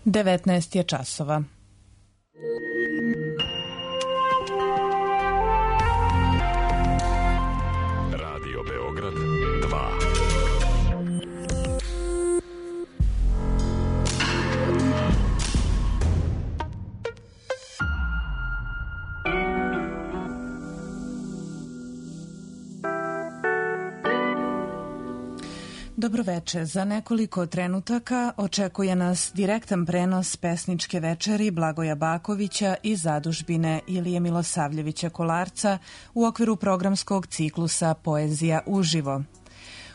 19 je časova. Radio Beograd 2. Dobroveče. Za nekoliko trenutaka očekuje nas direktan prenos pesničke večeri Blagoja Bakovića i zadužbine Ilije Milosavljevića Kolarca u okviru programskog ciklusa Poezija uživo.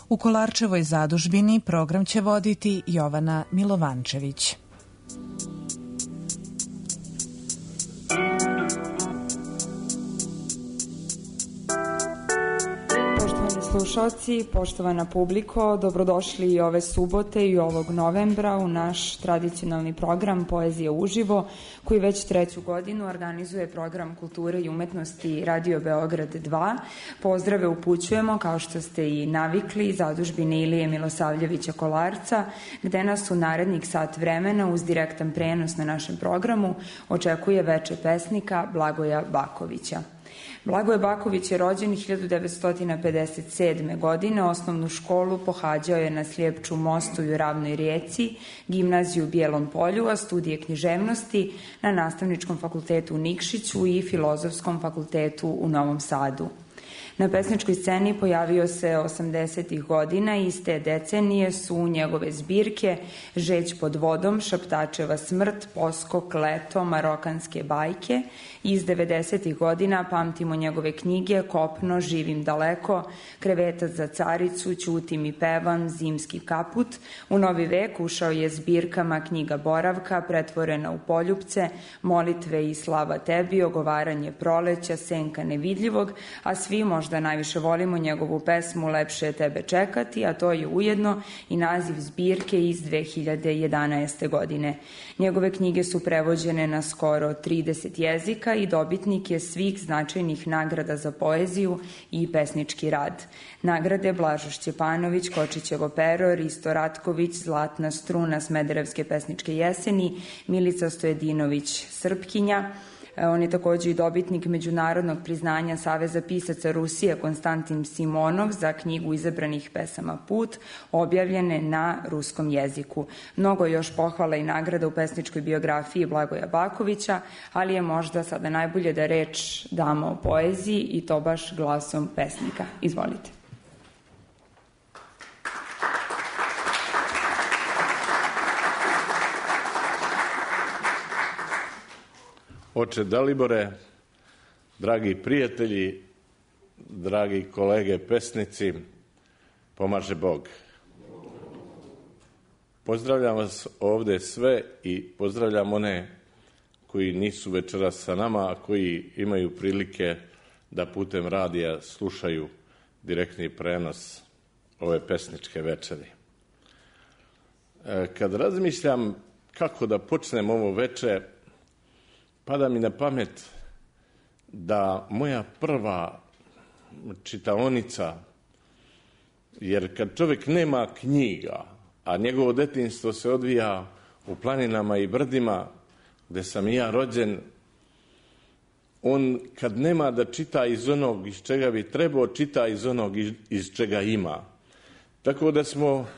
U Kolarčevoj zadužbini program će voditi Jovana Milovančević. Slušalci, poštovana publiko, dobrodošli i ove subote i ovog novembra u naš tradicionalni program Poezija uživo, koji već treću godinu organizuje program kulture i umetnosti Radio Beograd 2. Pozdrave upućujemo, kao što ste i navikli, zadužbine Ilije Milosavljevića Kolarca, gde nas u narednih sat vremena uz direktan prenos na našem programu očekuje veče pesnika Blagoja Bakovića. Blagoje Baković je rođen 1957. godine, osnovnu školu pohađao je na Slijepču mostu i u Ravnoj Rijeci, gimnaziju u Bijelom Polju, a studije književnosti na Nastavničkom fakultetu u Nikšiću i Filozofskom fakultetu u Novom Sadu. Na pesničkoj sceni pojavio se 80. godina i iz te decenije su njegove zbirke Žeć pod vodom, Šaptačeva smrt, Poskok, Leto, Marokanske bajke. Iz 90. godina pamtimo njegove knjige Kopno, Živim daleko, Krevetac za caricu, Ćutim i pevam, Zimski kaput. U novi vek ušao je zbirkama Knjiga boravka, Pretvorena u poljupce, Molitve i slava tebi, Ogovaranje proleća, Senka nevidljivog, a svi možda najviše volimo njegovu pesmu Lepše je tebe čekati, a to je ujedno i naziv zbirke iz 2011. godine. Njegove knjige su prevođene na skoro 30 jezika i dobitnik je svih značajnih nagrada za poeziju i pesnički rad. Nagrade Blažo Šćepanović, Kočićevo pero, Risto Ratković, Zlatna struna Smederevske pesničke jeseni, Milica Stojedinović Srpkinja. On je također i dobitnik međunarodnog priznanja Saveza pisaca Rusije Konstantin Simonov za knjigu izabranih pesama Put, objavljene na ruskom jeziku. Mnogo je još pohvala i nagrada u pesničkoj biografiji Blagoja Bakovića, ali je možda sada najbolje da reč damo o poeziji i to baš glasom pesnika. Izvolite. Oče Dalibore, dragi prijatelji, dragi kolege pesnici, pomaže Bog. Pozdravljam vas ovde sve i pozdravljam one koji nisu večeras sa nama, a koji imaju prilike da putem radija slušaju direktni prenos ove pesničke večeri. Kad razmišljam kako da počnem ovo veče, pada mi na pamet da moja prva čitaonica, jer kad čovjek nema knjiga, a njegovo detinjstvo se odvija u planinama i brdima, gde sam i ja rođen, on kad nema da čita iz onog iz čega bi trebao, čita iz onog iz čega ima. Tako da smo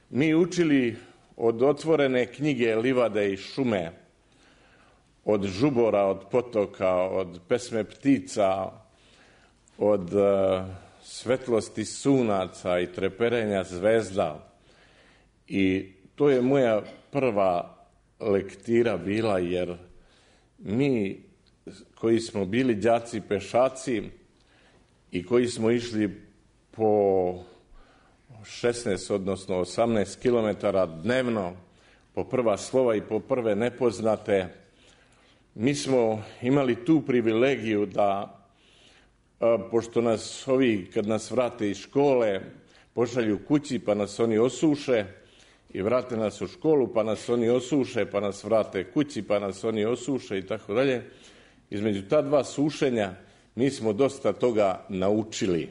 mi učili od otvorene knjige livade i šume, od žubora, od potoka, od pesme ptica, od svetlosti sunaca i treperenja zvezda. I to je moja prva lektira bila, jer mi koji smo bili đaci pešaci i koji smo išli po 16, odnosno 18 kilometara dnevno, po prva slova i po prve nepoznate, mi smo imali tu privilegiju da, pošto nas ovi, kad nas vrate iz škole, pošalju kući pa nas oni osuše i vrate nas u školu pa nas oni osuše, pa nas vrate kući pa nas oni osuše i tako dalje. Između ta dva sušenja mi smo dosta toga naučili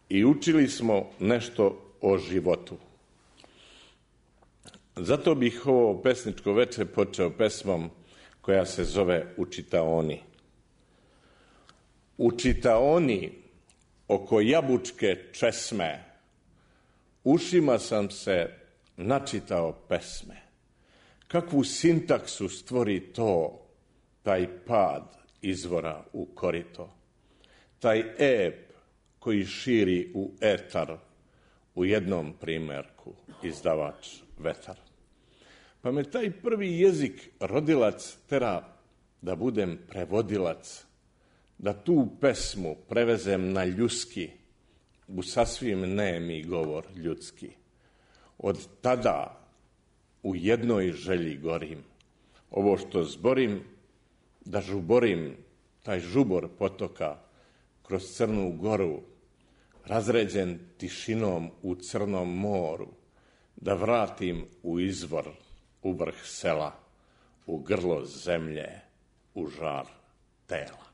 i učili smo nešto o životu. Zato bih ovo pesničko veče počeo pesmom koja se zove U čitaoni. U čitaoni oko jabučke česme ušima sam se načitao pesme. Kakvu sintaksu stvori to, taj pad izvora u korito, taj ep koji širi u etar, u jednom primerku izdavač Vetar. Pa me taj prvi jezik rodilac tera da budem prevodilac, da tu pesmu prevezem na ljuski, u sasvim nemi govor ljudski. Od tada u jednoj želji gorim, ovo što zborim, da žuborim taj žubor potoka kroz Crnu Goru, razređen tišinom u Crnom moru, da vratim u izvor, u vrh sela, u grlo zemlje, u žar tela.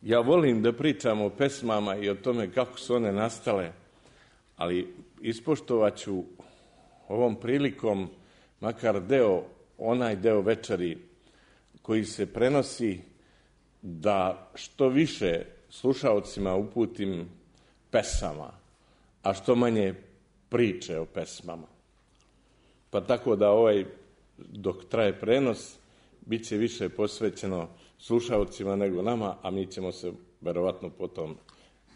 Ja volim da pričam o pesmama i o tome kako su one nastale, ali ispoštovat ću ovom prilikom makar onaj deo večeri koji se prenosi, da što više slušaocima uputim pesama, a što manje priče o pesmama. Pa tako da dok traje prenos, bit će više posvećeno slušaocima nego nama, a mi ćemo se verovatno potom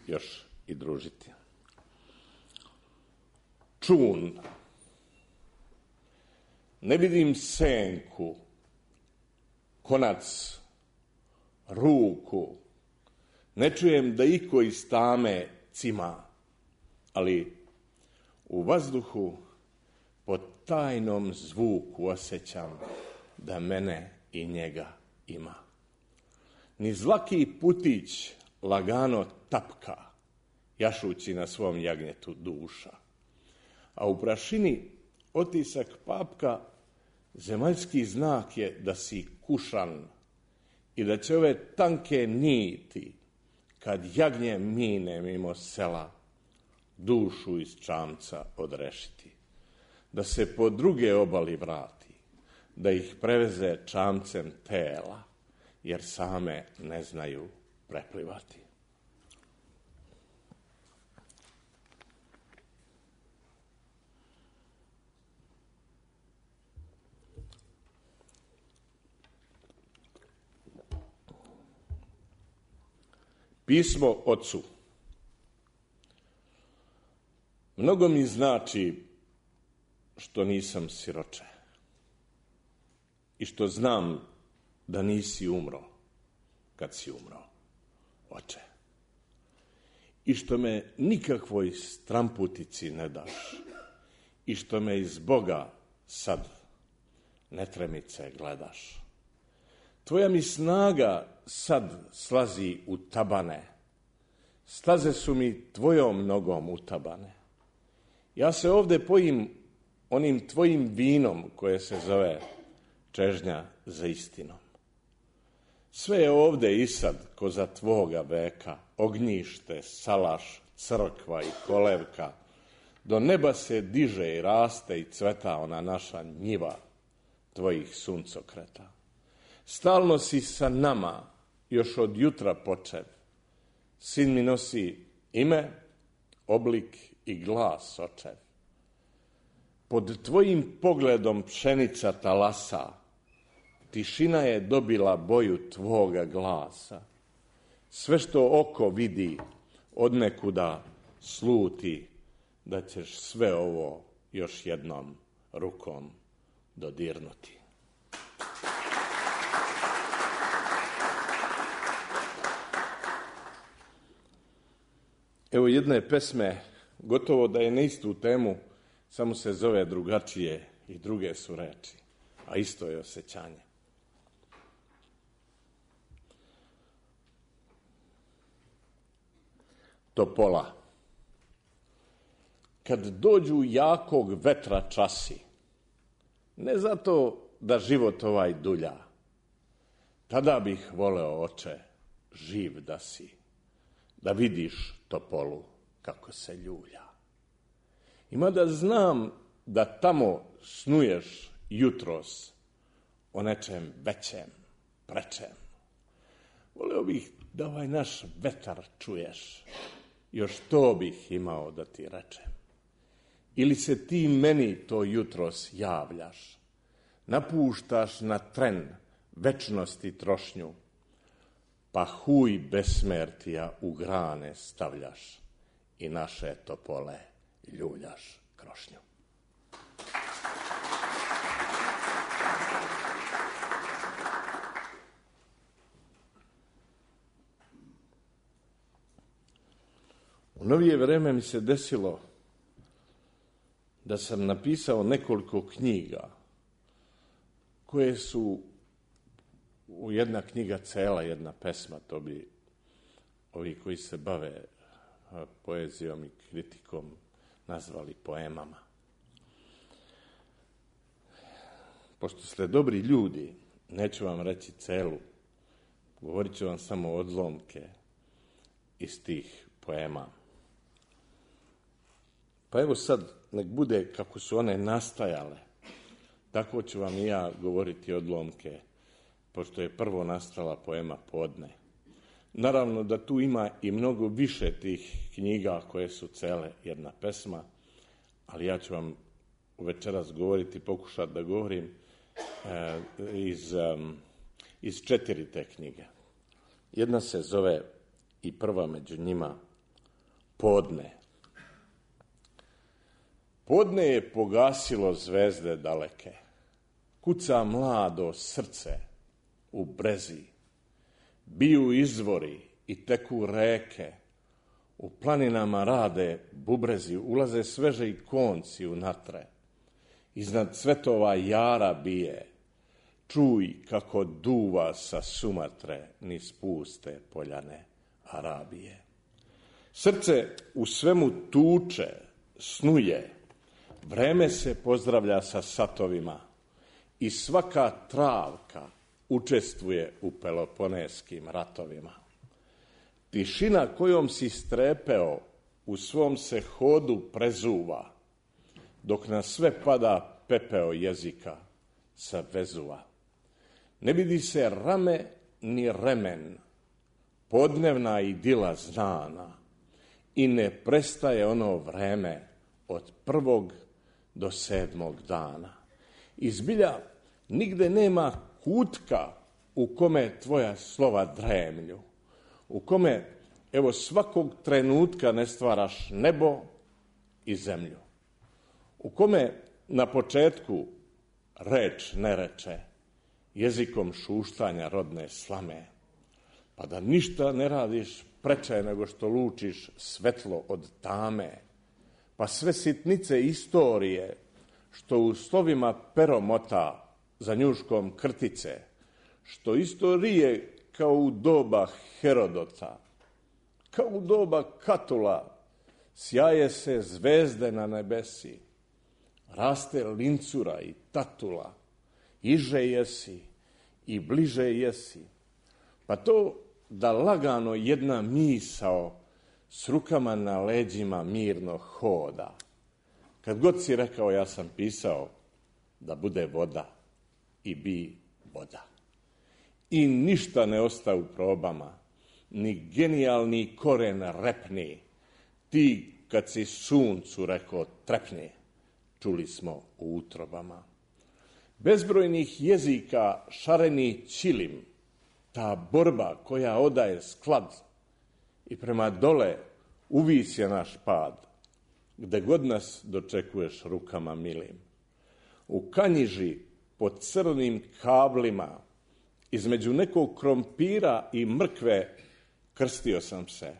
još i družiti. Čun. Ne vidim senku, konac, ruku, ne čujem da iko iz tame cima, ali u vazduhu po tajnom zvuku osjećam da mene i njega ima. Niz laki putić lagano tapka, jašući na svom jagnjetu duša, a u prašini otisak papka zemaljski znak je da si kušan i da će ove tanke niti, kad jagnje mine mimo sela, dušu iz čamca odrešiti, da se po druge obali vrati, da ih preveze čamcem tela, jer same ne znaju preplivati. Pismo ocu. Mnogo mi znači što nisam siroče i što znam da nisi umro kad si umro, oče. I što me nikakvoj stramputici ne daš i što me iz Boga sad netremice gledaš. Tvoja mi snaga sad slazi u tabane, staze su mi tvojom nogom utabane. Ja se ovde pojim onim tvojim vinom koje se zove čežnja za istinom. Sve je ovde i sad ko za tvoga veka, ognjište, salaš, crkva i kolevka. Do neba se diže i raste i cveta ona naša njiva tvojih suncokreta. Stalno si sa nama, još od jutra počev. Sin mi nosi ime, oblik i glas očev. Pod tvojim pogledom pšenica talasa, tišina je dobila boju tvoga glasa. Sve što oko vidi, odnekuda sluti, da ćeš sve ovo još jednom rukom dodirnuti. Evo jedne pesme, gotovo da je na istu temu, samo se zove drugačije i druge su reči, a isto je osjećanje. Topola. Kad dođu jakog vetra časi, ne zato da život ovaj dulja, tada bih voleo, oče, živ da si, da vidiš topolu kako se ljulja. I mada znam da tamo snuješ jutros o nečem većem, prečem, voleo bih da ovaj naš vetar čuješ, još to bih imao da ti rečem. Ili se ti meni to jutros javljaš, napuštaš na tren večnosti trošnju, pa huj besmertija u grane stavljaš i naše topole ljuljaš krošnju. U novije vreme mi se desilo da sam napisao nekoliko knjiga koje su jedna knjiga cela, jedna pesma, to bi ovi koji se bave poezijom i kritikom nazvali poemama. Pošto ste dobri ljudi, neću vam reći celu, govorit ću vam samo odlomke iz tih poema. Pa evo sad, nek bude kako su one nastajale, tako ću vam i ja govoriti odlomke, pošto je prvo nastala poema Podne. Naravno da tu ima i mnogo više tih knjiga koje su cele jedna pesma, ali ja ću vam večeras govoriti, pokušati da govorim iz 4 te knjige. Jedna se zove, i prva među njima, Podne. Podne je pogasilo zvezde daleke, kuca mlado srce u brezi, biju izvori i teku reke, u planinama rade bubrezi, ulaze sveže i konci u natre, iznad cvetova jara bije, čuj kako duva sa Sumatre niz puste poljane Arabije. Srce u svemu tuče, snuje, vreme se pozdravlja sa satovima i svaka travka učestvuje u peloponeskim ratovima. Tišina kojom si strepeo u svom se hodu prezuva, dok na sve pada pepeo jezika sa Vezuva. Ne vidi se rame ni remen, podnevna idila znana, i ne prestaje ono vreme od 1. do 7. dana. I zbilja nigde nema kutka u kome tvoja slova dremlju, u kome, evo, svakog trenutka ne stvaraš nebo i zemlju, u kome na početku reč ne reče, jezikom šuštanja rodne slame, pa da ništa ne radiš preče nego što lučiš svetlo od tame, pa sve sitnice istorije, što u slovima pero mota za njuškom krtice, što istorije kao u doba Herodota, kao u doba Katula, sjaje se zvezde na nebesi, raste lincura i tatula, iže jesi i bliže jesi, pa to da lagano jedna misao s rukama na leđima mirno hoda. Kad god si rekao ja sam pisao da bude voda i bi voda. I ništa ne osta u probama, ni genijalni koren repni, ti kad si suncu rekao trepni, čuli smo u utrobama. Bezbrojnih jezika šareni čilim, ta borba koja odaje sklad i prema dole uvis je naš pad, gde god nas dočekuješ rukama milim. U Kanjiži pod crnim kablima, između nekog krompira i mrkve, krstio sam se,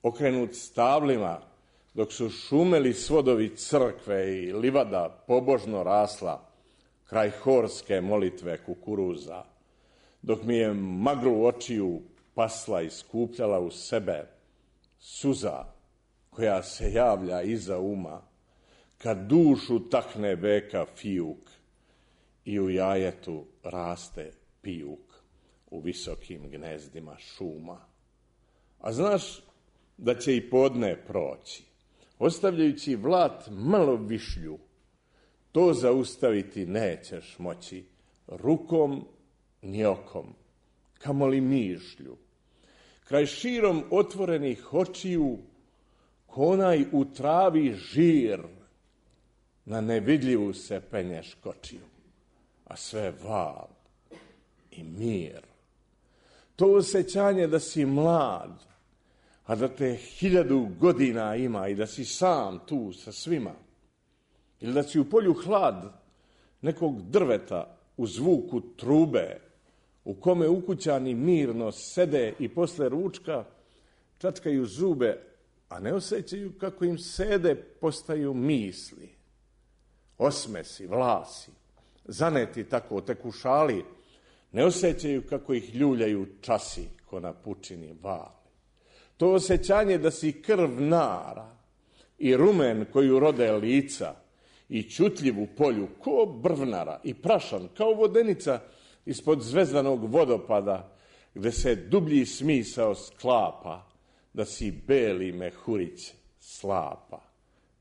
okrenut stablima, dok su šumeli svodovi crkve i livada pobožno rasla kraj horske molitve kukuruza, dok mi je maglu očiju pasla i skupljala u sebe suza koja se javlja iza uma, kad dušu takne beka fijuk i u jajetu raste pijuk. u visokim gnezdima šuma. A znaš da će i podne proći, ostavljajući vlat malo višlju, to zaustaviti nećeš moći rukom ni okom, kamoli mišlju. Kraj širom otvorenih očiju, ko onaj u travi žir, na nevidljivu se penje škočiju, a sve val i mir. To osjećanje da si mlad, a da te 1000 godina ima i da si sam tu sa svima, ili da si u polju hlad nekog drveta u zvuku trube, u kome ukućani mirno sede i posle ručka čačkaju zube, a ne osjećaju kako im sede postaju misli, osmesi, vlasi, zaneti tako tekušali, ne osjećaju kako ih ljuljaju časi ko na pučini vali. To osjećanje da si krv nara i rumen koju rode lica i čutljiv u polju ko brvnara i prašan kao vodenica ispod zvezdanog vodopada gde se dublji smisao sklapa, da si beli mehurić slapa,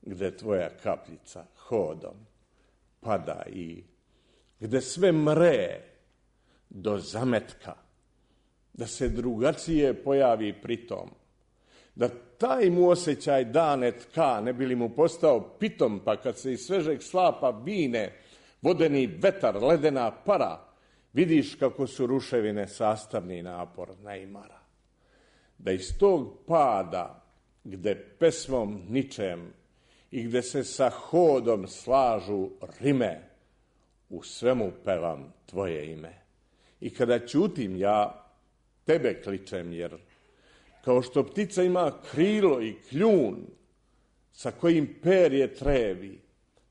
gde tvoja kapljica hodom pada i gde sve mre do zametka, da se drugačije pojavi pritom, da taj mu osjećaj dane tka, ne bi li mu postao pitom, pa kad se iz svežeg slapa vine vodeni vetar, ledena para, vidiš kako su ruševine sastavni napor najmara. Da iz tog pada, gde pesmom ničem i gde se sa hodom slažu rime, u svemu pevam tvoje ime. I kada ćutim ja, tebe kličem, jer kao što ptica ima krilo i kljun, sa kojim perje trevi,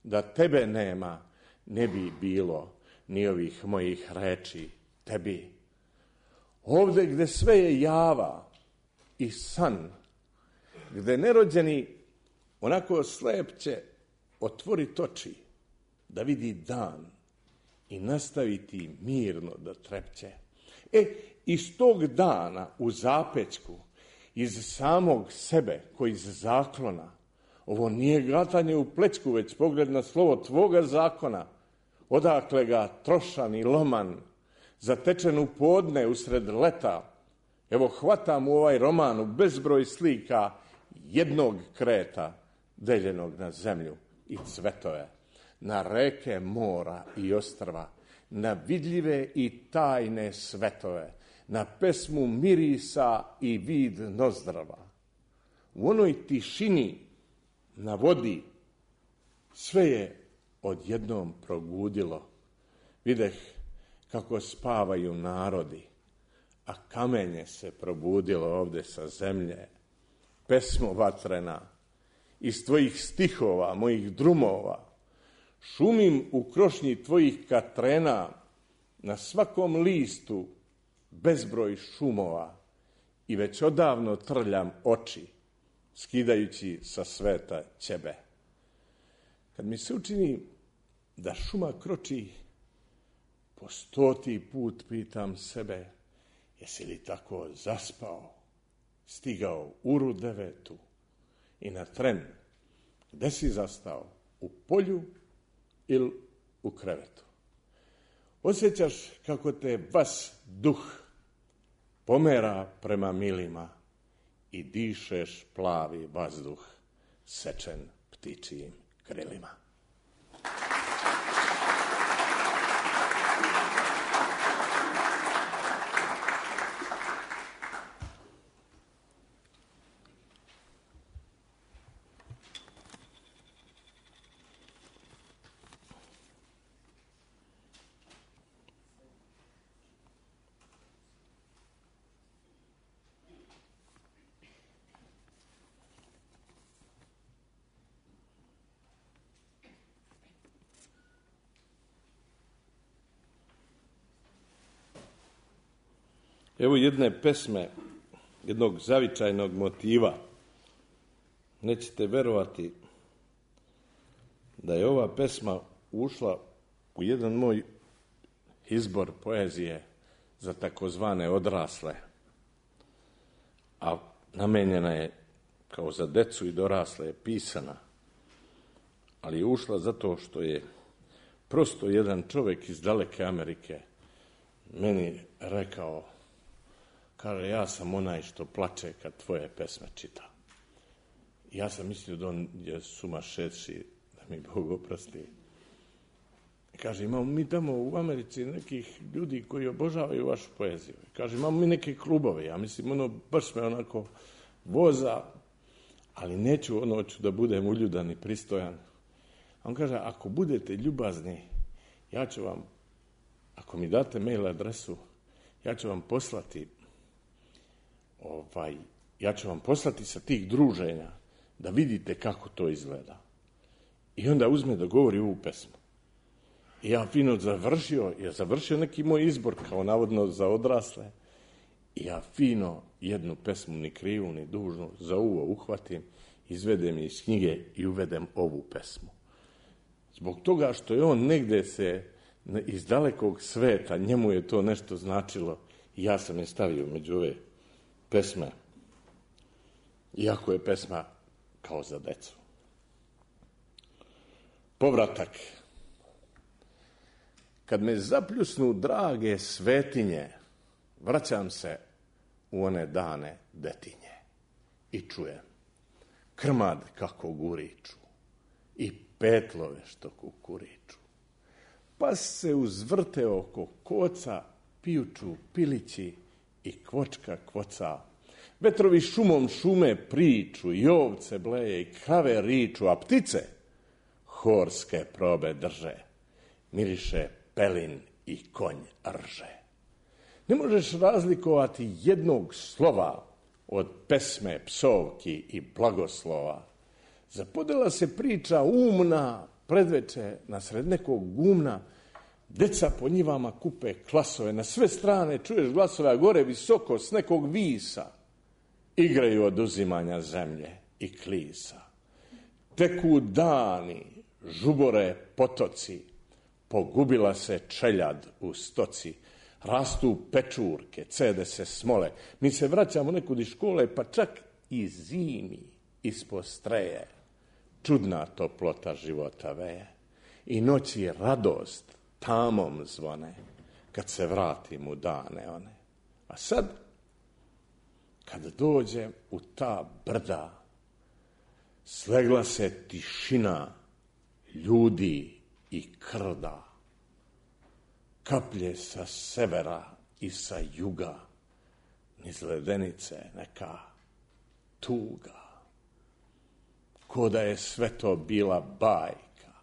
da tebe nema, ne bi bilo ni ovih mojih reči tebi. Ovde gde sve je java i san, gde nerođeni onako slepće otvorit oči, da vidi dan i nastaviti mirno da trepće. Iz tog dana u zapećku, iz samog sebe, koji iz zaklona, ovo nije gatanje u plećku, već pogled na slovo tvoga zakona, odakle ga trošan i loman, zatečen u podne usred leta, evo hvatam u ovaj roman u bezbroj slika jednog kreta, deljenog na zemlju i cvetove, na reke, mora i ostrva, na vidljive i tajne svetove, na pesmu mirisa i vid nozdrava. U onoj tišini na vodi sve je odjednom progudilo. Videh kako spavaju narodi, a kamenje se probudilo ovde sa zemlje. Pesmo vatrena, iz tvojih stihova, mojih drumova, šumim u krošnji tvojih katrena, na svakom listu bezbroj šumova i već odavno trljam oči, skidajući sa sveta ćebe. Kad mi se učini da šuma kroči, po 100. put pitam sebe, jesi li tako zaspao, stigao uru 9 i na tren, gde si zastao, u polju ili u krevetu? Osjećaš kako te vas duh pomera prema milima i dišeš plavi vazduh sečen ptičijim krilima. Evo jedne pesme, jednog zavičajnog motiva. Nećete verovati da je ova pesma ušla u jedan moj izbor poezije za takozvane odrasle, a namenjena je kao za decu i dorasle, je pisana, ali je ušla zato što je prosto jedan čovjek iz daleke Amerike meni rekao, kaže, ja sam onaj što plače kad tvoje pesme čita. Ja sam mislio da on je sumašeći, da mi Bog oprosti. Kaže, imamo mi tamo u Americi nekih ljudi koji obožavaju vašu poeziju. Kaže, imamo mi neke klubove, ja mislim, baš me onako voza, ali neću, hoću da budem uljudan i pristojan. A on kaže, ako budete ljubazni, ja ću vam, ako mi date mail adresu, ja ću vam poslati sa tih druženja da vidite kako to izgleda. I onda uzme da govori ovu pesmu. I ja fino završio neki moj izbor kao navodno za odrasle. I ja fino jednu pesmu, ni krivu, ni dužnu, za uvo uhvatim, izvedem je iz knjige i uvedem ovu pesmu. Zbog toga što je on negde se iz dalekog sveta, njemu je to nešto značilo i ja sam je stavio među ove pesme, iako je pesma kao za decu. Povratak. Kad me zapljusnu drage svetinje, vraćam se u one dane detinje i čujem krmad kako guriču i petlove što kukuriču. Pa se uzvrte oko koca, pijuču pilići i kvočka kvoca. Vetrovi šumom šume priču, i ovce bleje i krave riču, a ptice horske probe drže. Miriše pelin i konj rže. Ne možeš razlikovati jednog slova od pesme, psovki i blagoslova. Zapodela se priča umna, predveče nasred nekog gumna, deca po njivama kupe klasove, na sve strane čuješ glasove, a gore visoko s nekog visa igraju od uzimanja zemlje i klisa. Teku dani, žubore potoci, pogubila se čeljad u stoci, rastu pečurke, cede se smole, mi se vraćamo nekud iz škole, pa čak i zimi ispod streje, čudna toplota života veje i noći radost tamom zvone, kad se vratim u dane one. A sad, kad dođem u ta brda, slegla se tišina ljudi i krda, kaplje sa severa i sa juga, niz ledenice neka tuga, ko da je sve to bila bajka,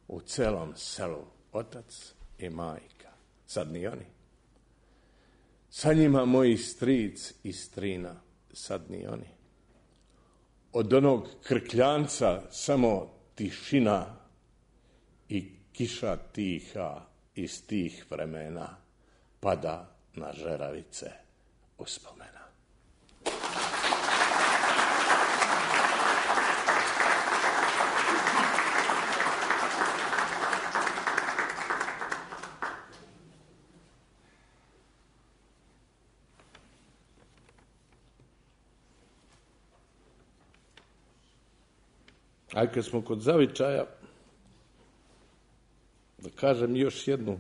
u celom selu otac i majka, sad ni oni. Sa njima moji stric i strina, sad ni oni. Od onog krkljanca samo tišina i kiša tiha iz tih vremena pada na žeravice uspomena. A kad smo kod zavičaja, da kažem još jednu,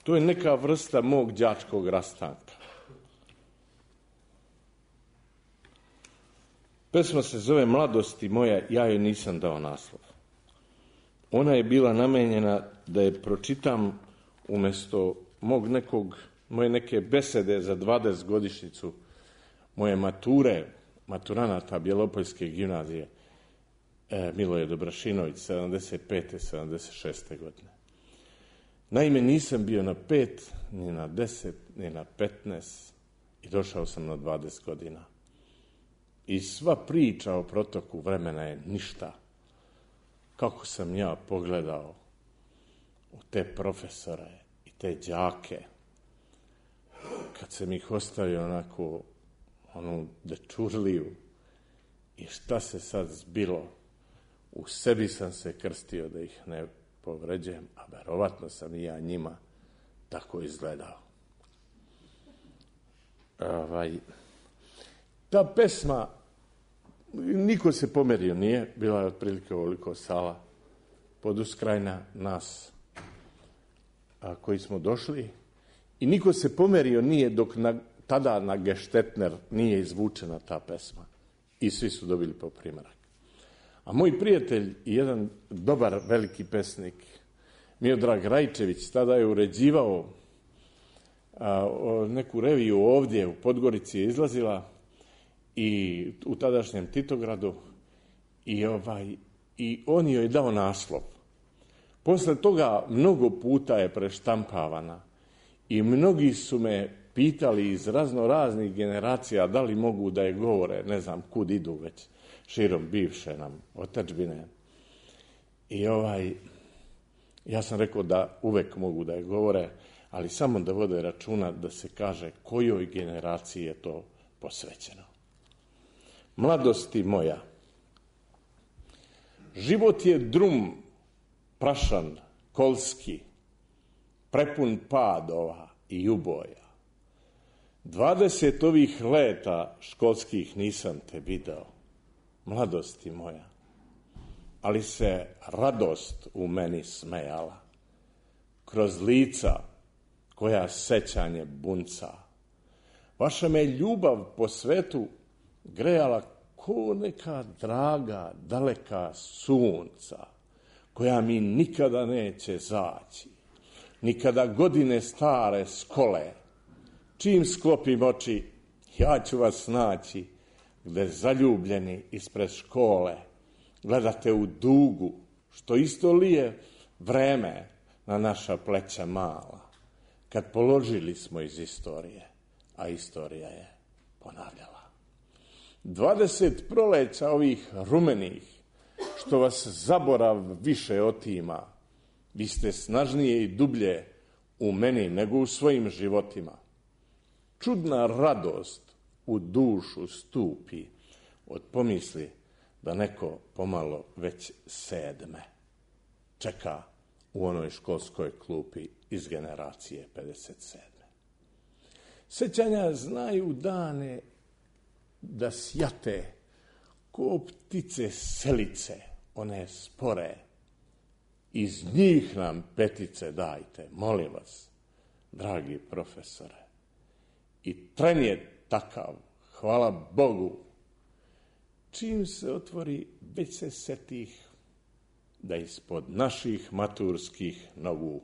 to je neka vrsta mog đačkog rastanka. Pesma se zove Mladosti moja, ja joj nisam dao naslov. Ona je bila namenjena da je pročitam umjesto moje neke besede za 20-godišnjicu moje mature, maturanata Bjelopoljske gimnazije, Miloje Dobrašinović, 75. 76. godine. Naime, nisam bio na 5, ni na 10, ni na 15 i došao sam na 20 godina. I sva priča o protoku vremena je ništa. Kako sam ja pogledao u te profesore i te đake, kad sam ih ostavio onako, onu dečurliju, i šta se sad zbilo, u sebi sam se krstio da ih ne povređujem, a verovatno sam i ja njima tako izgledao. ta pesma, niko se pomerio nije, bila je otprilike ovoliko sala pod uskrajna nas koji smo došli i niko se pomerio nije dok tada na Geštetner nije izvučena ta pesma i svi su dobili po primerak. A moj prijatelj i jedan dobar veliki pesnik Miodrag Rajčević tada je uređivao neku reviju ovdje u Podgorici je izlazila i u tadašnjem Titogradu i on joj dao naslov. Posle toga mnogo puta je preštampavana i mnogi su me pitali iz raznih generacija da li mogu da je govore, ne znam kud idu već širom bivše nam otadžbine. I ja sam rekao da uvek mogu da je govore, ali samo da vode računa da se kaže kojoj generaciji je to posvećeno. Mladosti moja, život je drum, prašan, kolski, prepun padova i uboja. 20 ovih leta školskih nisam te video, mladosti moja, ali se radost u meni smejala, kroz lica koja sećanje bunca. Vaša me ljubav po svetu grejala ko neka draga, daleka sunca, koja mi nikada neće zaći, nikada godine stare skole. Čim sklopim oči, ja ću vas naći, gde zaljubljeni ispred škole gledate u dugu, što isto lije vreme na naša pleća mala, kad položili smo iz istorije, a istorija je ponavljala. 20 proleća ovih rumenih, što vas zaborav više otima, vi ste snažnije i dublje u meni nego u svojim životima. Čudna radost u dušu stupi od pomisli da neko pomalo već sedme čeka u onoj školskoj klupi iz generacije 57. Sećanja znaju dane da sjate ko ptice selice, one spore. Iz njih nam petice dajte, molim vas, dragi profesore. I tren je takav, hvala Bogu. Čim se otvori, već se setih da ispod naših maturskih nogu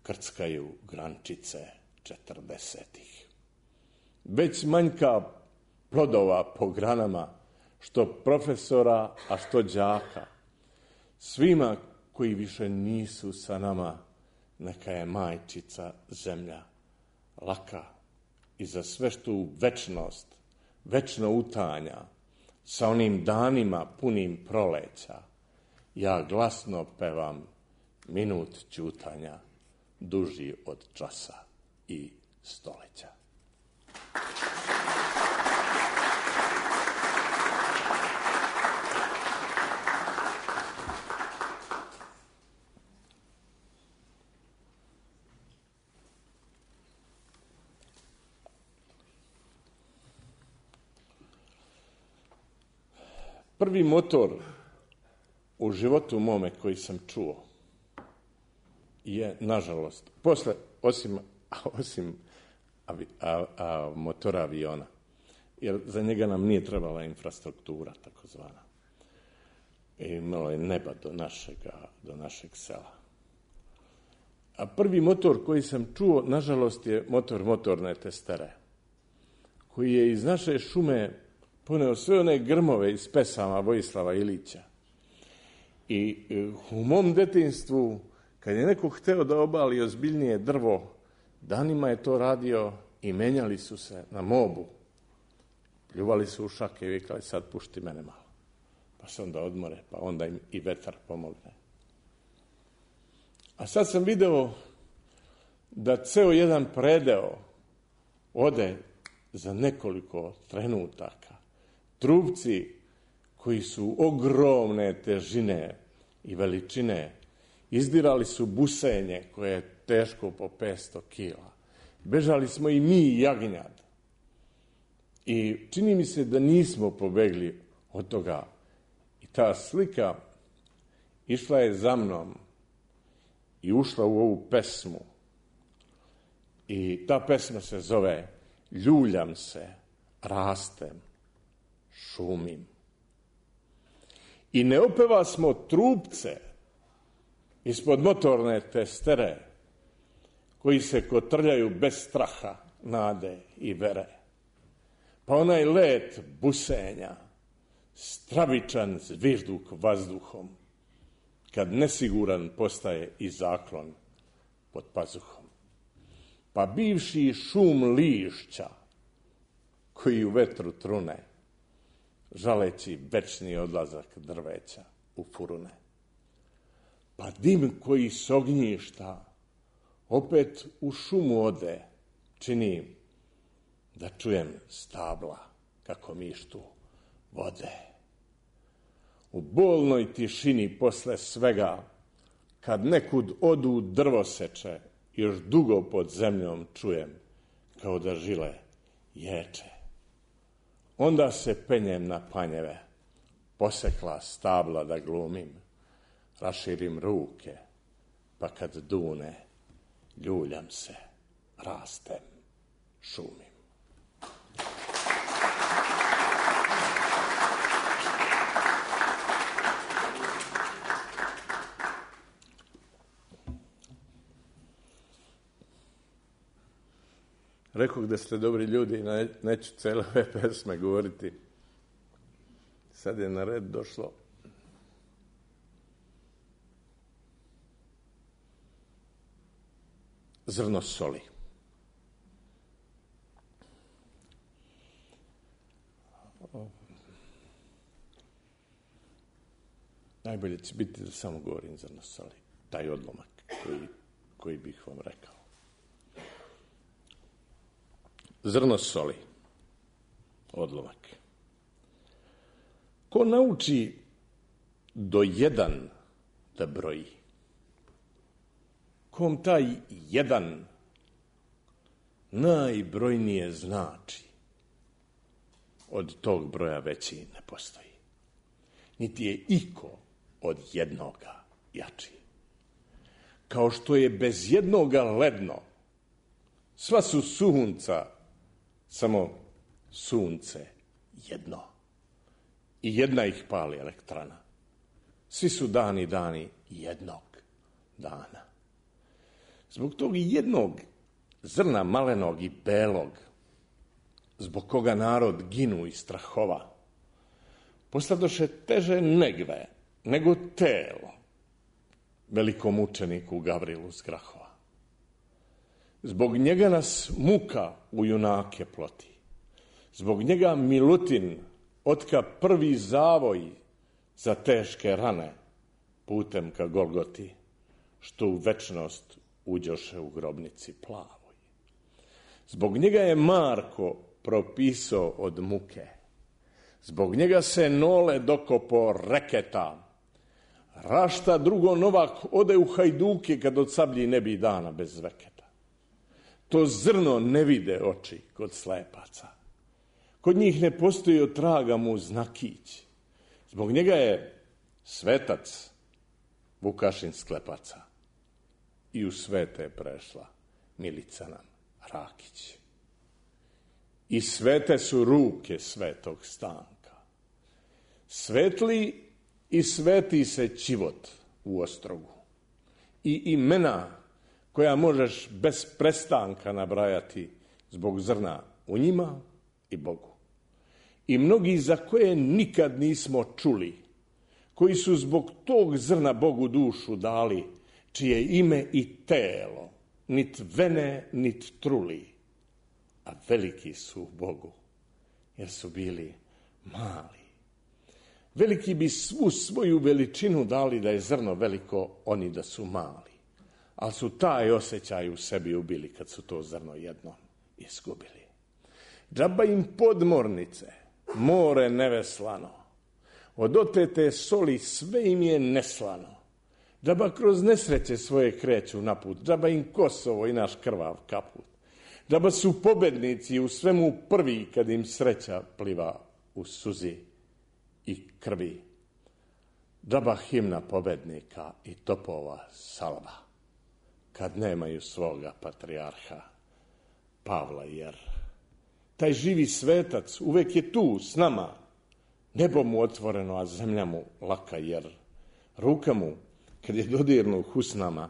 krckaju grančice 40-ih. Već manjka plodova po granama, što profesora, a što đaka. Svima koji više nisu sa nama, neka je majčica zemlja laka i za sve što u večnost, večno utanja, sa onim danima punim proleća, ja glasno pevam minut ćutanja, duži od časa i stoleća. Prvi motor u životu mome koji sam čuo je, nažalost, osim motora aviona, jer za njega nam nije trebala infrastruktura, takozvana. Imalo je neba do našeg sela. A prvi motor koji sam čuo, nažalost, je motor motorne testere, koji je iz naše šume poneo sve one grmove iz pesama Vojislava Ilića. I u mom detinjstvu, kad je neko hteo da obali ozbiljnije drvo, danima je to radio i menjali su se na mobu. Pljuvali su u šake i vikali, sad pušti mene malo. Pa se onda odmore, pa onda im i vetar pomogne. A sad sam video da ceo jedan predeo ode za nekoliko trenutaka. Trupci koji su ogromne težine i veličine izdirali su busenje koje je teško po 500 kila. Bežali smo i mi i jagnjad. I čini mi se da nismo pobegli od toga. I ta slika išla je za mnom i ušla u ovu pesmu. I ta pesma se zove Ljuljam se, rastem, šumim. I ne opeva smo trupce ispod motorne testere koji se kotrljaju bez straha, nade i vere. Pa onaj let busenja, stravičan zvižduk vazduhom, kad nesiguran postaje i zaklon pod pazuhom. Pa bivši šum lišća koji u vetru trune, žaleći večni odlazak drveća u furune. Pa dim koji s ognjišta opet u šumu ode, čini da čujem stabla kako mištu vode. U bolnoj tišini posle svega, kad nekud odu drvoseče, još dugo pod zemljom čujem kao da žile ječe. Onda se penjem na panjeve, posekla stabla da glumim, raširim ruke, pa kad dune, ljuljam se, rastem, šumim. Rekao da ste dobri ljudi i neću cele ove pesme govoriti. Sad je na red došlo zrno soli. Najbolje će biti da samo govorim zrno soli. Taj odlomak koji bih vam rekao. Zrno soli, odlomak. Ko nauči do 1 da broji, kom taj 1 najbrojnije znači, od tog broja veći ne postoji. Niti je iko od jednoga jači. Kao što je bez jednoga ledno, sva su sunca, samo sunce jedno. I jedna ih pali elektrana. Svi su dani jednog dana. Zbog tog jednog zrna malenog i belog, zbog koga narod ginu i strahova, posladoše teže negve nego telo velikom učeniku Gavrilu z Grahova. Zbog njega nas muka u junake ploti. Zbog njega Milutin otka prvi zavoj za teške rane putem ka Golgoti, što u večnost uđoše u grobnici plavoj. Zbog njega je Marko propisao od muke. Zbog njega se Nole dokopo reketa. Rašta drugo Novak ode u Hajduke kad od sablji ne bi dana bez veketa. To zrno ne vide oči kod slepaca. Kod njih ne postoji od traga mu znakić. Zbog njega je svetac Vukašin Sklepaca. I u svete je prešla Milica nam Rakić. I svete su ruke svetog Stanka. Svetli i sveti se Ćivot u Ostrogu. I imena koja možeš bez prestanka nabrajati zbog zrna u njima i Bogu. I mnogi za koje nikad nismo čuli, koji su zbog tog zrna Bogu dušu dali, čije ime i telo, nit vene, nit truli, a veliki su Bogu, jer su bili mali. Veliki bi svu svoju veličinu dali da je zrno veliko, oni da su mali. Ali su taj osjećaj u sebi ubili kad su to zrno jednom izgubili. Džaba im podmornice, more neveslano, od otete soli sve im je neslano. Džaba kroz nesreće svoje kreću naput, džaba im Kosovo i naš krvav kaput. Džaba su pobednici u svemu prvi kad im sreća pliva u suzi i krvi. Džaba himna pobednika i topova salva, kad nemaju svoga patrijarha Pavla, jer taj živi svetac uvek je tu s nama, nebo mu otvoreno, a zemlja mu laka, jer ruka mu, kad je dodirnu usnama,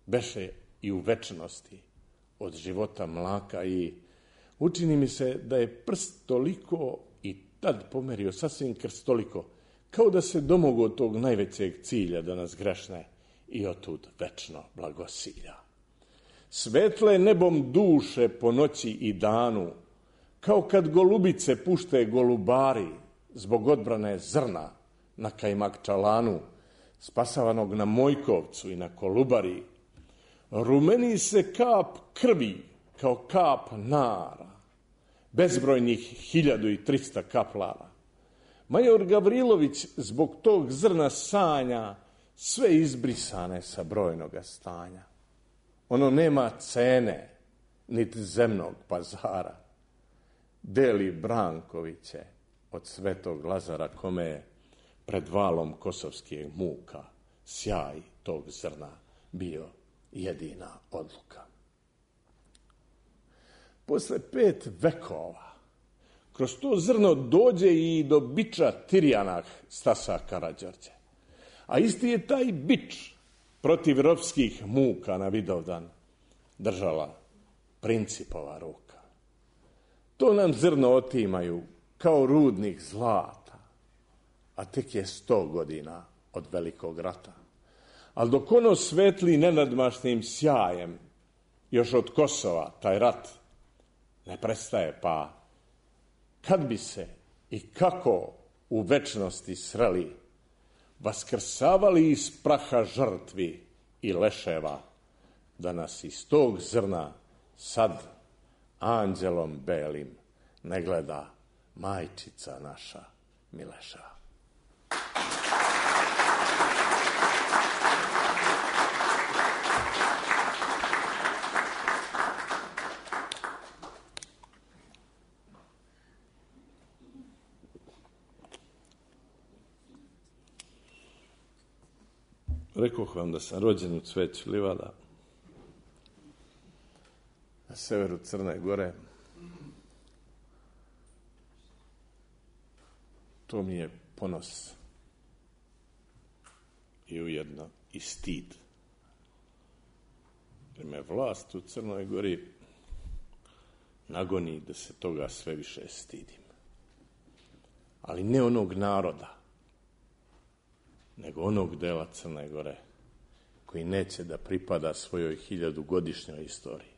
beše i u večnosti od života mlaka, i učini mi se da je prst toliko i tad pomerio sasvim krstoliko, kao da se domogu od tog najvećeg cilja da nas grešne i otud večno blagosilja. Svetle nebom duše po noći i danu, kao kad golubice pušte golubari zbog odbrane zrna na Kajmakčalanu, spasavanog na Mojkovcu i na Kolubari. Rumeni se kap krvi kao kap nara, bezbrojnih 1300 kaplara. Major Gavrilović zbog tog zrna sanja sve izbrisane sa brojnoga stanja. Ono nema cene, niti zemnog pazara. Deli Brankoviće od Svetog Lazara, kome je pred valom kosovskih muka sjaj tog zrna bio jedina odluka. Posle 5 vekova kroz to zrno dođe i do biča Tirjanah Stasa Karađorđe. A isti je taj bič protiv ropskih muka na Vidovdan držala Principova ruka. To nam zrno otimaju kao rudnik zlata, a tek je 100 godina od velikog rata. Ali dok ono svetli nenadmašnim sjajem, još od Kosova taj rat ne prestaje, pa kad bi se i kako u večnosti sreli, vaskrsavali iz praha žrtvi i leševa, da nas iz tog zrna sad anđelom belim ne gleda majčica naša Mileša. Rekoh vam da sam rođen u Cveću livada, na severu Crne Gore. To mi je ponos i ujedno i stid. Jer me vlast u Crnoj Gori nagoni da se toga sve više stidim. Ali ne onog naroda, nego onog dela Crne Gore koji neće da pripada svojoj 1000-godišnjoj istoriji.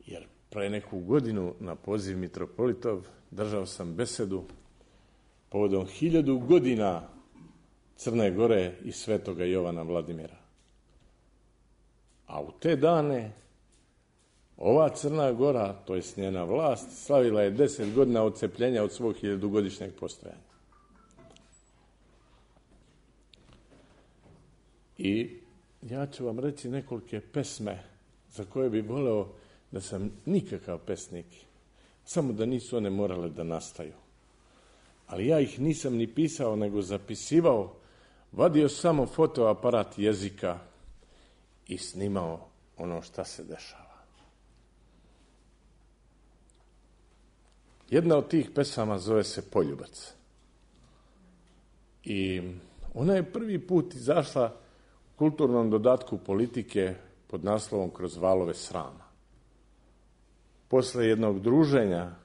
Jer pre neku godinu na poziv mitropolitov držao sam besedu povodom 1000 godina Crne Gore i Svetoga Jovana Vladimira. A u te dane ova Crna Gora, to je njena vlast, slavila je 10 godina odcepljenja od svog 1000-godišnjeg postojanja. I ja ću vam reći nekolike pesme za koje bi voleo da sam nikakav pesnik, samo da nisu one morale da nastaju. Ali ja ih nisam ni pisao, nego zapisivao, vadio samo fotoaparat jezika i snimao ono šta se dešava. Jedna od tih pesama zove se Poljubac. I ona je prvi put izašla u kulturnom dodatku Politike pod naslovom Kroz valove srama. Posle jednog druženja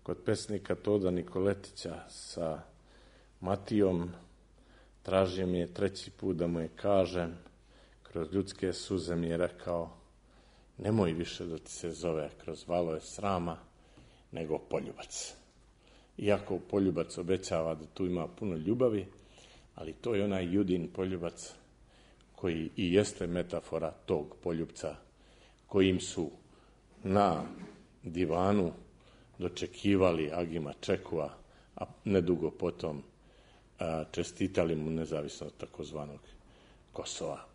kod pesnika Toda Nikoletića sa Matijom, tražio mi je 3. put da mu je kažem, kroz ljudske suze mi je rekao, nemoj više da ti se zove Kroz valove srama, nego Poljubac. Iako Poljubac obećava da tu ima puno ljubavi, ali to je onaj Judin poljubac koji i jeste metafora tog poljubca kojim su na divanu dočekivali Agima Čekua, a nedugo potom čestitali mu nezavisnost takozvanog Kosova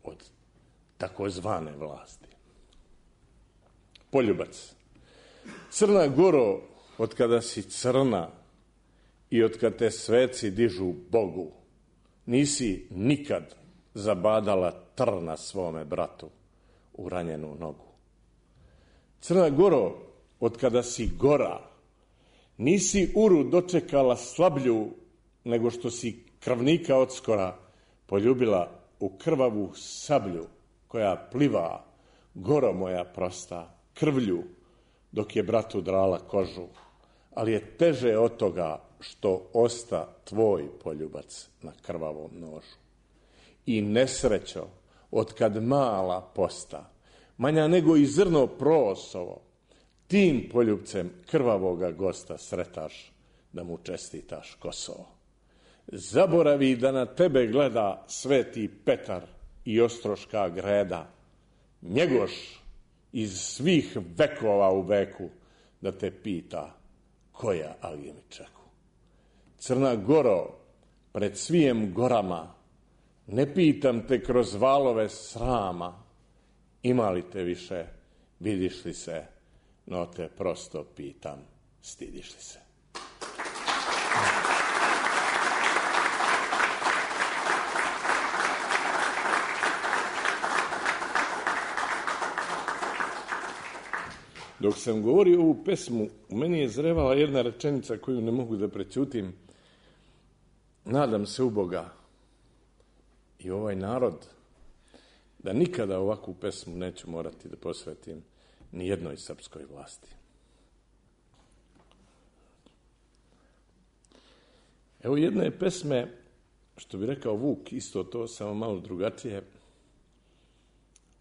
od takozvane vlasti. poljubac. Crna Goro, od kada si crna i od kada te sveci dižu Bogu, nisi nikad zabadala trna svome bratu u ranjenu nogu. Crna Goro, od kada si gora, nisi uru dočekala slablju, nego što si krvnika odskora poljubila u krvavu sablju, koja pliva, goro moja prosta, krvlju, dok je bratu drala kožu. Ali je teže od toga što osta tvoj poljubac na krvavom nožu. I nesrećo, od kad mala posta, manja nego i zrno prosovo, tim poljubcem krvavoga gosta sretaš, da mu čestitaš Kosovo. Zaboravi da na tebe gleda Sveti Petar i Ostroška greda, Njegoš iz svih vekova u veku, da te pita koja agimi čeku. Crna Goro, pred svijem gorama, ne pitam te kroz valove srama, ima li te više, vidiš li se, no te prosto pitam, stidiš li se. Dok sam govorio ovu pesmu, u meni je zrevala jedna rečenica koju ne mogu da prećutim. Nadam se u Boga i ovaj narod da nikada ovakvu pesmu neću morati da posvetim ni jednoj srpskoj vlasti. Evo jedne pesme, što bi rekao Vuk, isto to, samo malo drugačije.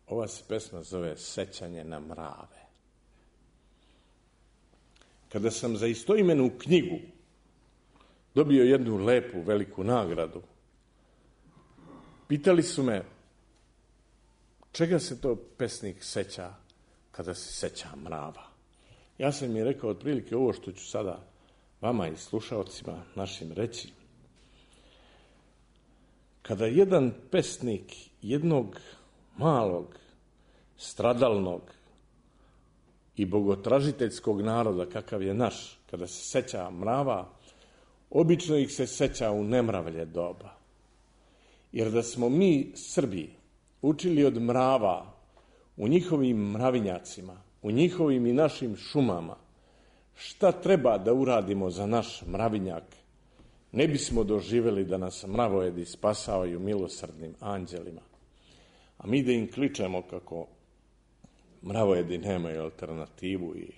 Ova se pesma zove Sećanje na mrave. Kada sam za istoimenu knjigu dobio jednu lepu, veliku nagradu, pitali su me čega se to pesnik seća kada se seća mrava. Ja sam im rekao otprilike ovo što ću sada vama i slušaocima našim reći. Kada jedan pesnik jednog malog, stradalnog i bogotražiteljskog naroda, kakav je naš, kada se seća mrava, obično ih se seća u nemravlje doba. Jer da smo mi, Srbi, učili od mrava u njihovim mravinjacima, u njihovim i našim šumama, šta treba da uradimo za naš mravinjak, ne bismo doživjeli da nas mravojedi spasavaju milosrdnim anđelima. A mi da im kličemo kako mravojedi nemaju alternativu i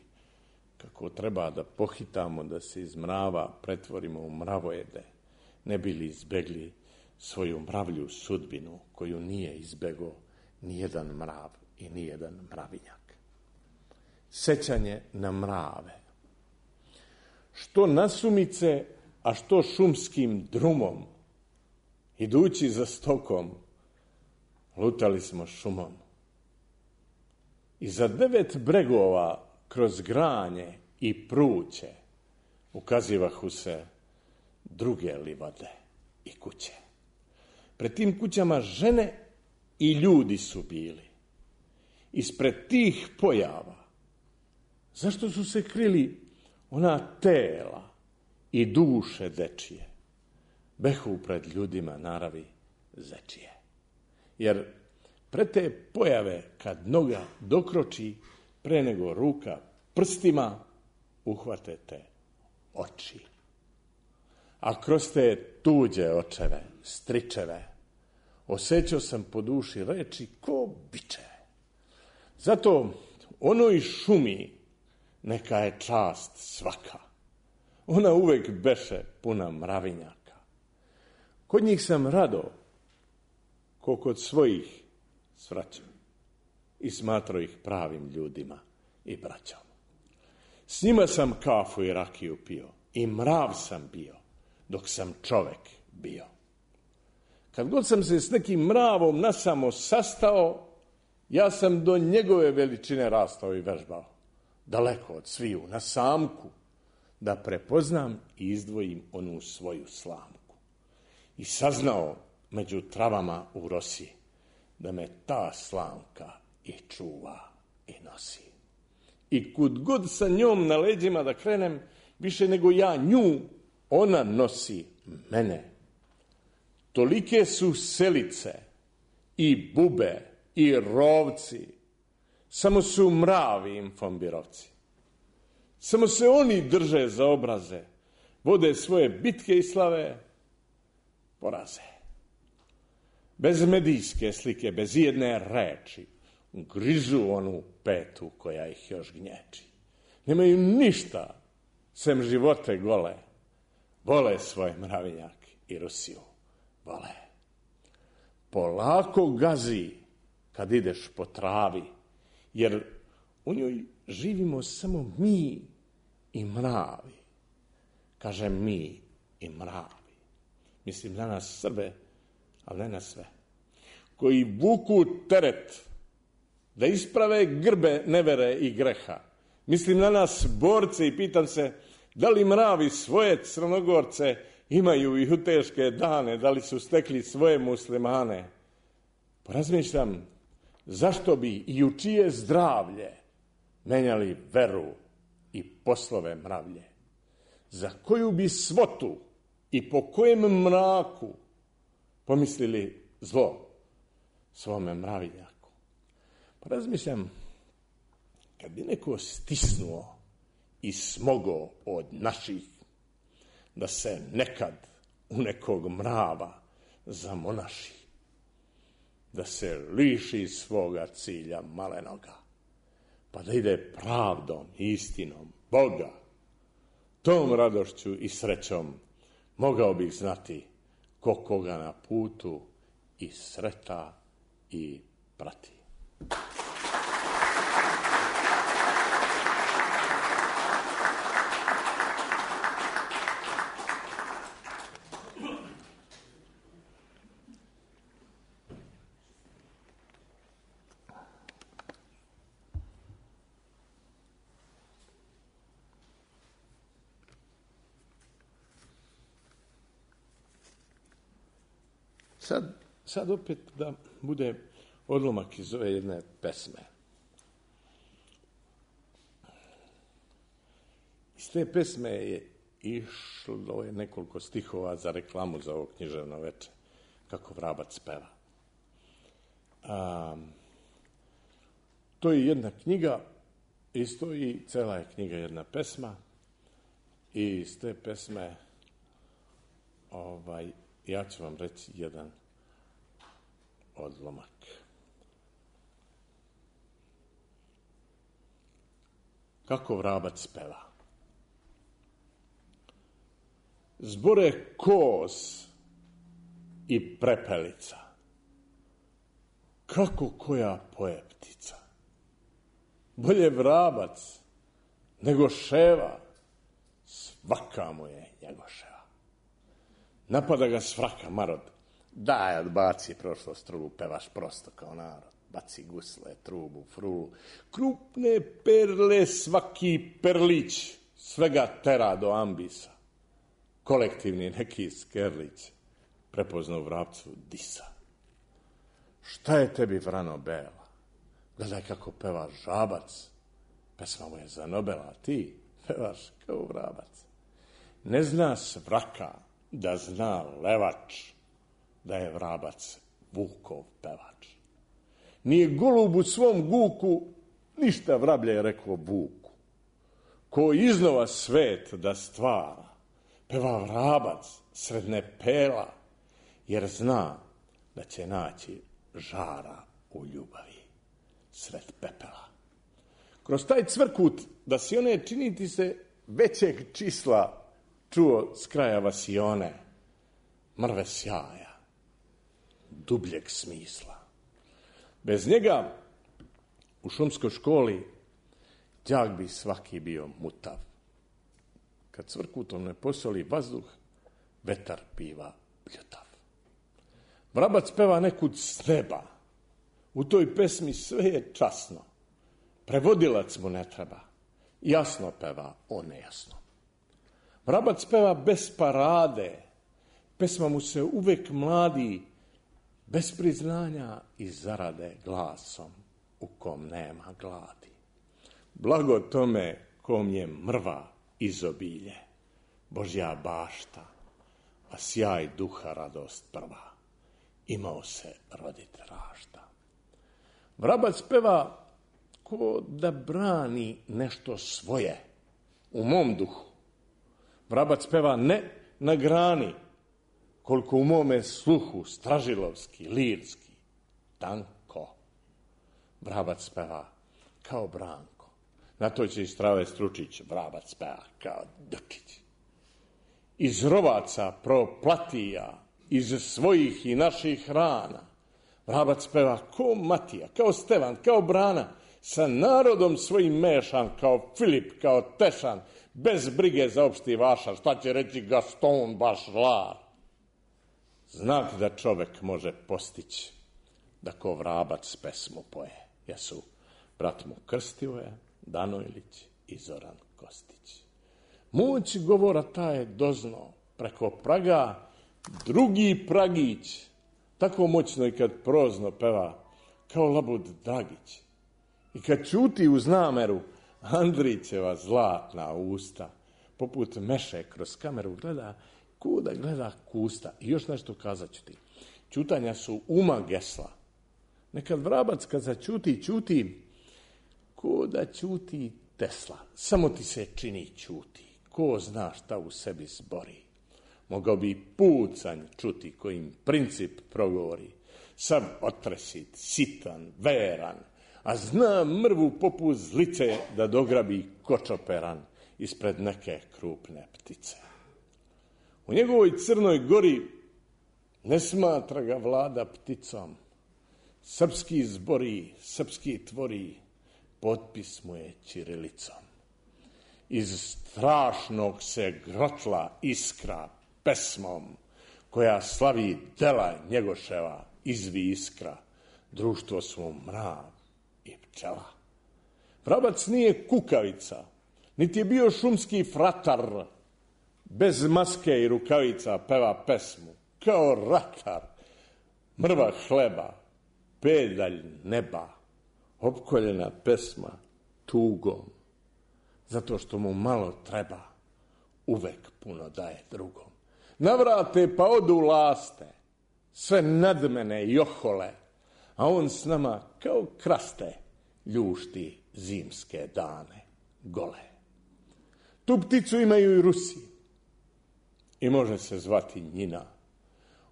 kako treba da pohitamo da se iz mrava pretvorimo u mravojede, ne bi li izbegli svoju mravlju sudbinu koju nije izbegao nijedan mrav i nijedan mravinjak. Sećanje na mrave. Što nasumice, a što šumskim drumom, idući za stokom, lutali smo šumom. I za 9 bregova kroz granje i pruće ukazivahu se druge livade i kuće. Pred tim kućama žene i ljudi su bili. Ispred tih pojava, zašto su se krili ona tela i duše dečije, behu pred ljudima naravi zečije. Jer pred te pojave, kad noga dokroči, pre nego ruka prstima uhvate te oči. A kroz te tuđe očeve, stričeve, osjećao sam po duši reči ko bičeve. Zato onoj šumi neka je čast svaka. Ona uvek beše puna mravinjaka. Kod njih sam rado, ko kod svojih svraćao i smatrao ih pravim ljudima i braćom. S njima sam kafu i rakiju pio i mrav sam bio dok sam čovek bio. Kad god sam se s nekim mravom nasamo sastao, ja sam do njegove veličine rastao i vežbao, daleko od sviju, na samku, da prepoznam i izdvojim onu svoju slamku. I saznao među travama u rosi da me ta slamka i čuva i nosi. I kud god sa njom na leđima da krenem, više nego ja nju, ona nosi mene. Tolike su selice i bube i rovci, samo su mravi infombirovci. Samo se oni drže za obraze, vode svoje bitke i slave, poraze. Bez medijske slike, bez jedne reči, grižu onu petu koja ih još gnječi. Nemaju ništa, sem živote gole. Vole svoj mravinjak i Rusiju, vole. Polako gazi kad ideš po travi, jer u njoj živimo samo mi i mravi. Kažem mi i mravi. Mislim na nas Srbe, ali ne na sve. Koji vuku teret da isprave grbe nevere i greha. Mislim na nas borce i pitam se da li mravi svoje Crnogorce imaju i u teške dane, da li su stekli svoje muslimane. Porazmišljam zašto bi i u čije zdravlje menjali veru i poslove mravlje. Za koju bi svotu i po kojem mraku pomislili zlo svome mravinjaku. Porazmišljam kad bi neko stisnuo i smogao od naših da se nekad u nekog mrava zamonaši, da se liši svoga cilja malenoga, pa da ide pravdom i istinom Boga, tom radošću i srećom mogao bih znati ko koga na putu i sreta i prati. Sad opet da bude odlomak iz ove jedne pesme. Iz te pesme je išlo nekoliko stihova za reklamu za ovo književno veče, kako vrabac peva. To je jedna knjiga, isto i cela je knjiga jedna pesma, i iz te pesme ja ću vam reći jedan odlomak. Kako vrabac peva. Zbore kos i prepelica, kako koja poje ptica. Bolje vrabac nego ševa, svaka mu je njegoševa. Napada ga s vraka marod, daj odbaci prošlost trubu, pevaš prosto kao narod. Baci gusle, trubu, frulu, krupne perle, svaki perlić, svega tera do ambisa. Kolektivni neki skerlić prepoznao u vrapcu disa. Šta je tebi vrano bela? Gledaj kako peva žabac. Pesma mu je za Nobela, ti pevaš kao vrabac. Ne zna svraka da zna levač da je vrabac Vukov pevač. Nije golub u svom guku ništa vrablje rekao Vuku. Ko iznova svet da stvara, peva vrabac sred nepela, jer zna da će naći žara u ljubavi sred pepela. Kroz taj cvrkut da si one činiti se većeg čisla čuo s kraja vasione, mrve sjaja, dubljeg smisla. Bez njega u šumskoj školi đak bi svaki bio mutav. Kad cvrkutom ne posoli vazduh, vetar biva bljutav. Vrabac peva nekud s neba. U toj pesmi sve je časno. Prevodilac mu ne treba. Jasno peva, on nejasno. Vrabac peva bez parade. Pesma mu se uvek mladi, bez priznanja i zarade glasom u kom nema gladi. Blago tome kom je mrva izobilje, Božja bašta, a sjaj duha radost prva, imao se rodit rašta. Vrabac peva ko da brani nešto svoje u mom duhu. Vrabac peva ne na grani, koliko u mome sluhu, stražilovski, lirski, tanko. Vrabac peva kao Branko. Na to će iz Trave Stručić, vrabac peva kao Dučić. Iz rovaca proplatija, iz svojih i naših rana, vrabac peva ko Matija, kao Stevan, kao Brana, sa narodom svojim mešan, kao Filip, kao Tešan, bez brige za opšti vašar, šta će reći Gaston Bašlar. Znak da čovek može postići da ko vrabac pesmu poje, jesu brat mu Krstivoje, Danojlić i Zoran Kostić. Moć govora ta je dozno, preko praga drugi pragić, tako moćno i kad prozno peva, kao labud Dragić. I kad ćuti uz nameru, Andrićeva zlatna usta, poput meše kroz kameru gleda, kuda gleda kusta. I još nešto kazat ću ti. Ćutanja su uma gesla. Nekad vrabac kad začuti, ćuti, kuda ćuti Tesla. Samo ti se čini ćuti. Ko zna šta u sebi zbori. Mogao bi pucanj čuti kojim princip progovori. Sav otresit, sitan, veran, a zna mrvu poput zlice da dograbi kočoperan ispred neke krupne ptice. U njegovoj Crnoj Gori ne smatra ga vlada pticom. Srpski zbori, srpski tvori, potpis mu je ćirilicom. Iz strašnog se grotla iskra pesmom, koja slavi dela Njegoševa, izvi iskra, društvo su mrav i pčela. Vrabac nije kukavica, niti je bio šumski fratar, bez maske i rukavica peva pesmu, kao ratar, mrva hleba, pedalj neba, opkoljena pesma tugom, zato što mu malo treba, uvek puno daje drugom. Navrate pa odu laste, sve nadmene i ohole, a on s nama kao kraste ljušti zimske dane gole. Tu pticu imaju i Rusi i može se zvati Njina.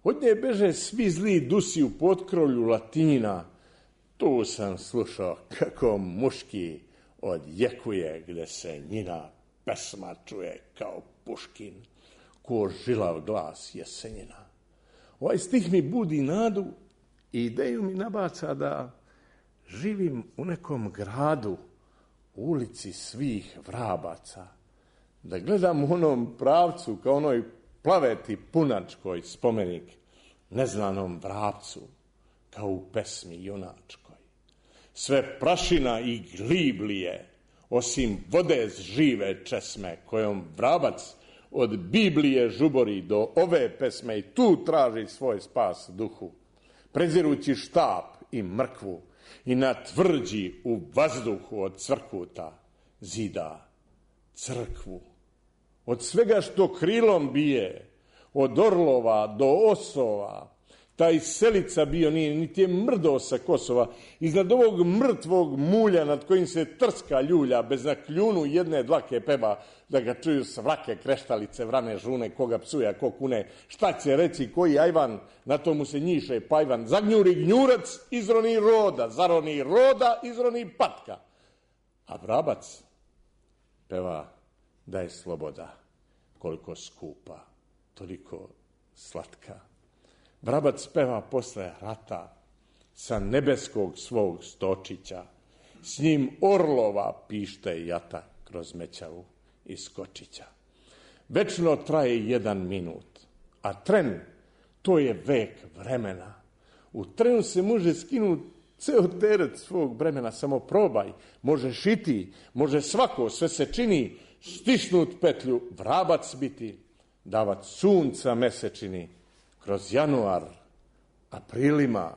Od nje beže svi zli dusi u potkrovlju Latina. Tu sam slušao kako muški odjekuje, gde se Njina pesma čuje kao Puškin, ko žilav glas Jesenjina. Ovaj stih mi budi nadu i ideju mi nabaca da živim u nekom gradu, u ulici svih vrabaca, da gledam u onom pravcu kao onoj plaveti punačkoj spomenik neznanom vrapcu, kao u pesmi junačkoj. Sve prašina i gliblije, osim vode žive česme, kojom vrabac od Biblije žubori do ove pesme i tu traži svoj spas duhu, prezirući štap i mrkvu i na tvrđi u vazduhu od cvrkuta zida crkvu. Od svega što krilom bije, od orlova do osova, taj selica bio nije, niti je mrdo sa Kosova, iznad ovog mrtvog mulja nad kojim se trska ljulja, bez na kljunu jedne dlake peva, da ga čuju svrake, kreštalice, vrane žune, koga psuje, ko kune, šta će reći, koji ajvan, na tomu se njiše pajvan, zagnjuri gnjurac, izroni roda, zaroni roda, izroni patka. A vrabac peva da je sloboda, koliko skupa, toliko slatka. Vrabac peva posle rata sa nebeskog svog stočića, s njim orlova pište jata kroz mećavu i skočića. Večno traje 1 minut, a tren, to je vek vremena. U trenu se može skinuti ceo teret svog bremena, samo probaj, možeš i ti, može svako, sve se čini, stisnut petlju, vrabac biti, davat sunca mesečini, kroz januar, aprilima,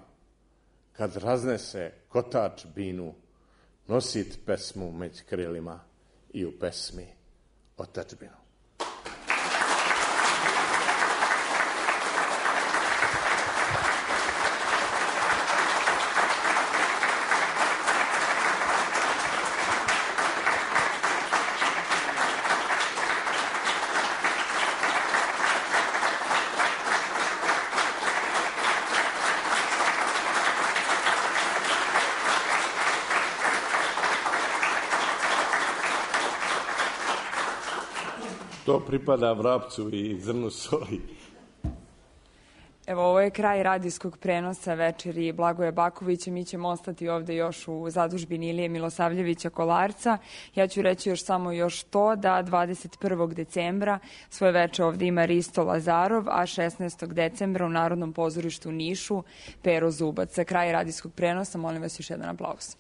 kad raznese kotač binu, nosit pesmu među krilima i u pesmi otadžbinu. To pripada vrapcu i zrnu soli. Evo, ovo je kraj radijskog prenosa večeri Blagoja Bakovića. Mi ćemo ostati ovde još u zadužbini Ilije Milosavljevića Kolarca. Ja ću reći još to da 21. decembra svoje veče ovde ima Risto Lazarov, a 16. decembra u Narodnom pozorištu u Nišu Pero Zubac. Za kraj radijskog prenosa molim vas još jedan aplauz.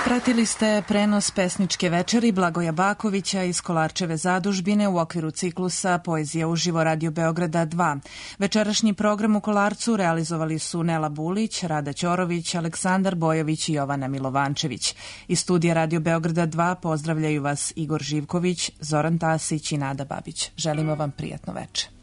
Pratili ste prenos pesničke večeri Blagoja Bakovića iz Kolarčeve zadužbine u okviru ciklusa Poezija uživo Radio Beograda 2. Večerašnji program u Kolarcu realizovali su Nela Bulić, Rada Ćorović, Aleksandar Bojović i Jovana Milovančević. Iz studija Radio Beograda 2 pozdravljaju vas Igor Živković, Zoran Tasić i Nada Babić. Želimo vam prijatno veče.